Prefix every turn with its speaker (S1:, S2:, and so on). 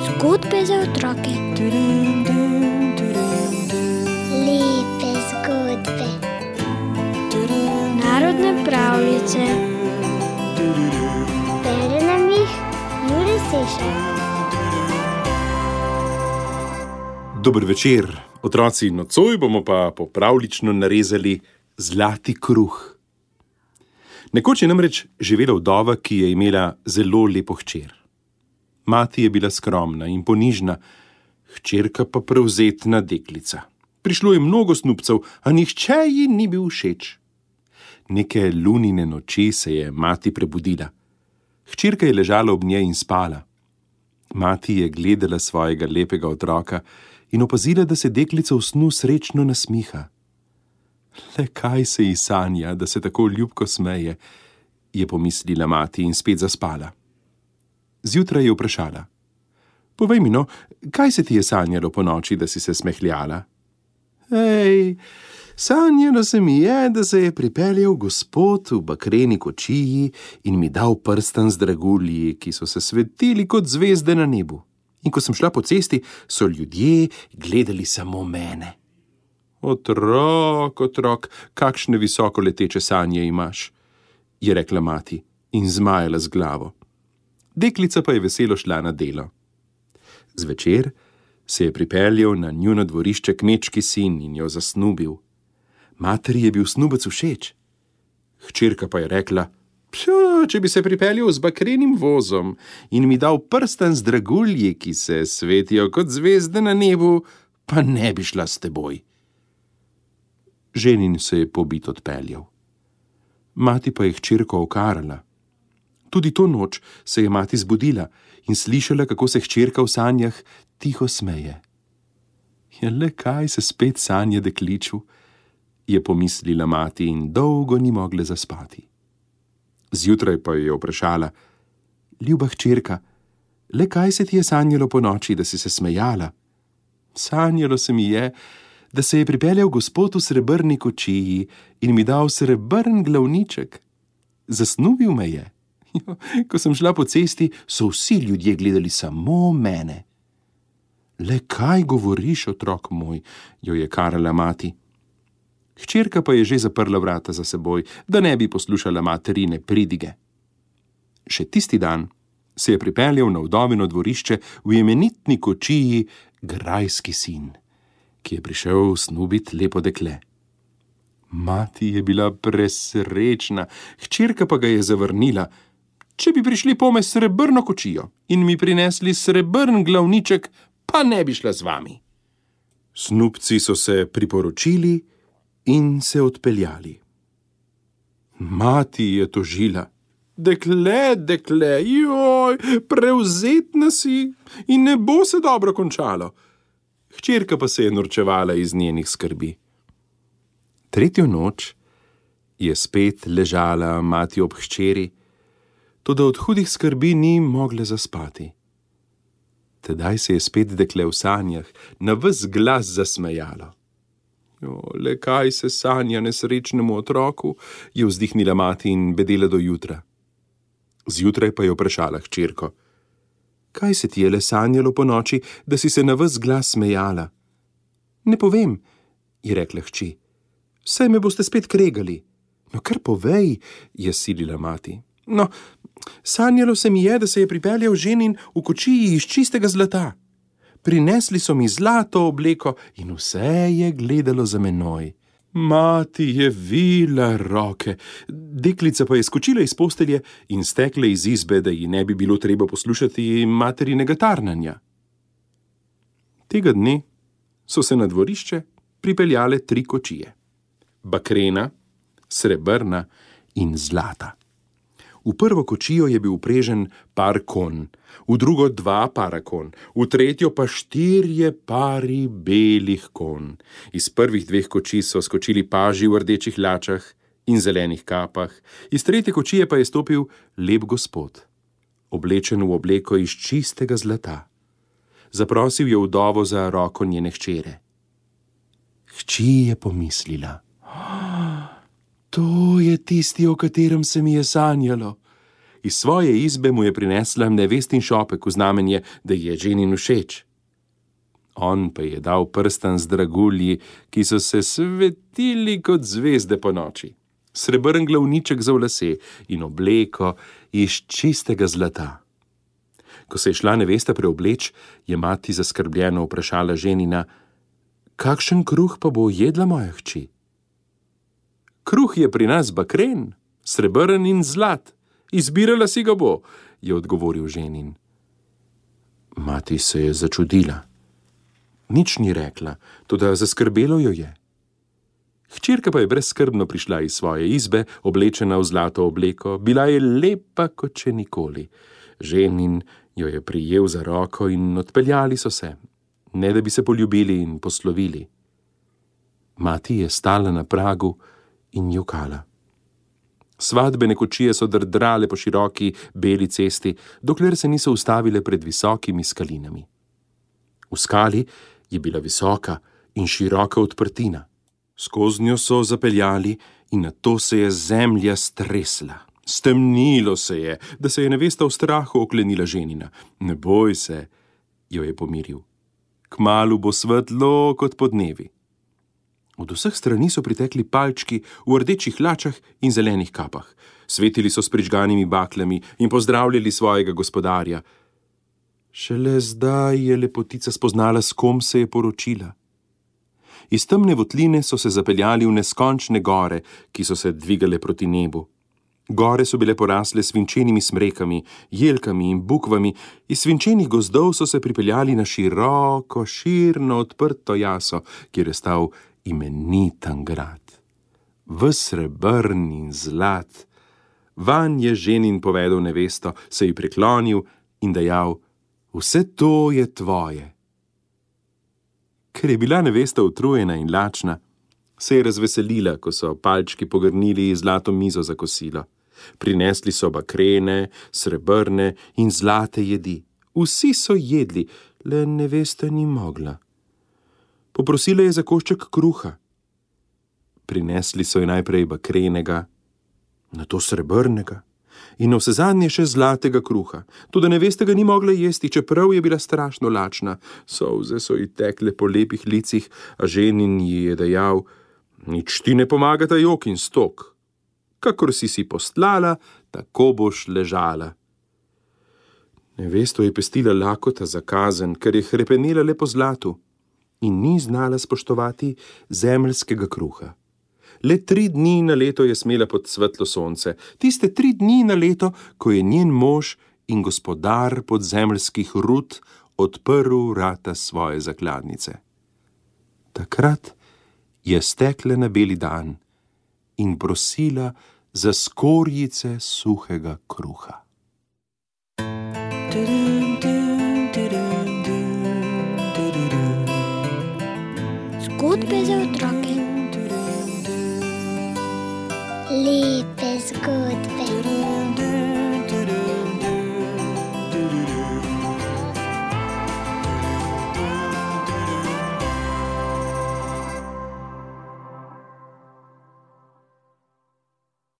S1: Zgodbe za otroke.
S2: Lepe zgodbe.
S1: Narodne pravljice.
S2: Bere nam jih Jure Sešar.
S3: Dober večer, otroci, nocoj bomo pa popravlično narezali zlati kruh. Nekoč je namreč živela vdova, ki je imela zelo lepo hčer. Mati je bila skromna in ponižna, hčerka pa prevzetna deklica. Prišlo je mnogo snubcev, a nihče ji ni bil všeč. Neke lunine noči se je mati prebudila. Hčerka je ležala ob njej in spala. Mati je gledala svojega lepega otroka in opazila, da se deklica v snu srečno nasmiha. Le kaj se ji sanja, da se tako ljubko smeje, je pomislila mati in spet zaspala. Zjutraj je vprašala: povej mi no, kaj se ti je sanjalo po noči, da si se smehljala? Ej, sanjalo se mi je, da se je pripeljal gospod v bakreni kočiji in mi dal prstan z dragulji, ki so se svetili kot zvezde na nebu. In ko sem šla po cesti, so ljudje gledali samo mene. Otrok, kakšne visoko leteče sanje imaš, je rekla mati in zmajala z glavo. Deklica pa je veselo šla na delo. Zvečer se je pripeljal na njuno dvorišče kmečki sin in jo zasnubil. Materi je bil snubec všeč. Hčerka pa je rekla: če bi se pripeljal z bakrenim vozom in mi dal prstan z dragulji, ki se svetijo kot zvezde na nebu, pa ne bi šla s teboj. Ženin se je pobit odpeljal. Mati pa je hčerko okarala. Tudi to noč se je mati zbudila in slišala, kako se hčerka v sanjah tiho smeje. Ja, le kaj se spet sanja dekliču, je pomislila mati in dolgo ni mogla zaspati. Zjutraj pa jo je vprašala: ljuba hčerka, le kaj se ti je sanjalo po noči, da si se smejala? Sanjalo se mi je, da se je pripeljal gospod v srebrni kočiji in mi dal srebrn glavniček. Zasnubil me je. Ko sem šla po cesti, so vsi ljudje gledali samo mene. Le kaj govoriš, otrok moj, jo je karala mati. Hčerka pa je že zaprla vrata za seboj, da ne bi poslušala materine pridige. Še tisti dan se je pripeljal na vdovino dvorišče v imenitni kočiji grajski sin, ki je prišel snubit lepo dekle. Mati je bila presrečna, hčerka pa ga je zavrnila. Če bi prišli pome srebrno kočijo in mi prinesli srebrn glavniček, pa ne bi šla z vami. Snubci so se priporočili in se odpeljali. Mati je tožila: dekle, joj, prevzetna si in ne bo se dobro končalo. Hčerka pa se je norčevala iz njenih skrbi. Tretjo noč je spet ležala mati ob hčeri, toda od hudih skrbi ni mogla zaspati. Tedaj se je spet dekle v sanjah na ves glas zasmejalo. Le kaj se sanja nesrečnemu otroku, je vzdihnila mati in bedela do jutra. Zjutraj pa je vprašala hčerko: kaj se ti je le sanjalo po noči, da si se na ves glas smejala? Ne povem, je rekla hči. Saj me boste spet kregali. No, kar povej, je silila mati. No, sanjalo se mi je, da se je pripeljal ženin v kočiji iz čistega zlata. Prinesli so mi zlato obleko in vse je gledalo za menoj. Mati je vila roke, deklica pa je skočila iz postelje in stekla iz izbe, da ji ne bi bilo treba poslušati materinega tarnanja. Tega dne so se na dvorišče pripeljale 3 kočije: bakrena, srebrna in zlata. V prvo kočijo je bil vprežen par konj, v drugo 2 para konj, v tretjo pa 4 pari belih konj. Iz prvih 2 kočij so skočili paži v rdečih lačah in zelenih kapah, iz tretje kočije pa je stopil lep gospod, oblečen v obleko iz čistega zlata. Zaprosil je vdovo za roko njene hčere. Hči je pomislila: to je tisti, o katerem se mi je sanjalo. Iz svoje izbe mu je prinesla nevestin šopek v znamenje, da je ženin všeč. On pa je dal prstan z dragulji, ki so se svetili kot zvezde po noči, srebrn glavniček za v lase in obleko iz čistega zlata. Ko se je šla nevesta preobleč, je mati zaskrbljeno vprašala ženina: kakšen kruh pa bo jedla moja hči? Kruh je pri nas bakren, srebrn in zlat, izbirala si ga bo, je odgovoril ženin. Mati se je začudila. Nič ni rekla, toda zaskrbelo jo je. Hčerka pa je brezskrbno prišla iz svoje izbe, oblečena v zlato obleko, bila je lepa kot še nikoli. Ženin jo je prijel za roko in odpeljali so se, ne da bi se poljubili in poslovili. Mati je stala na pragu in jokala. Svadbene kočije so drdrale po široki beli cesti, dokler se niso ustavile pred visokimi skalinami. V skali je bila visoka in široka odprtina. Skoznjo so zapeljali in nato se je zemlja stresla. Stemnilo se je, da se je nevesta v strahu oklenila ženina. Ne boj se, jo je pomiril. Kmalu bo svetlo kot podnevi. Od vseh strani so pritekli palčki v rdečih hlačah in zelenih kapah. Svetili so s prižganimi baklami in pozdravljali svojega gospodarja. Šele zdaj je lepotica spoznala, s kom se je poročila. Iz temne votline so se zapeljali v neskončne gore, ki so se dvigale proti nebu. Gore so bile porasle svinčenimi smrekami, jelkami in bukvami, iz svinčenih gozdov so se pripeljali na široko, širno odprto jaso, kjer je stal imeniten grad. Ves srebrn in zlat. Vanj je ženin povedal nevesto, se ji priklonil in dejal: vse to je tvoje. Ker je bila nevesta utrujena in lačna, se je razveselila, ko so palčki pogrnili zlato mizo za kosilo. Prinesli so bakrene, srebrne in zlate jedi. Vsi so jedli, le nevesta ni mogla. Poprosila je za košček kruha. Prinesli so ji najprej bakrenega, nato srebrnega in vsezadnje še zlatega kruha. Toda nevesta ga ni mogla jesti, čeprav je bila strašno lačna. Solze so ji tekle po lepih licih, a ženin ji je dejal: nič ti ne pomagata jok in stok. Kakor si postlala, tako boš ležala. Nevesto je pestila lakota za kazen, ker je hrepenela le po zlatu in ni znala spoštovati zemeljskega kruha. Le 3 dni na leto je smela pod svetlo sonce, tiste 3 dni na leto, ko je njen mož in gospodar podzemeljskih rud odprl vrata svoje zakladnice. Takrat je stekla na beli dan in prosila za skorjice suhega kruha.
S1: Zgodbe za otroke.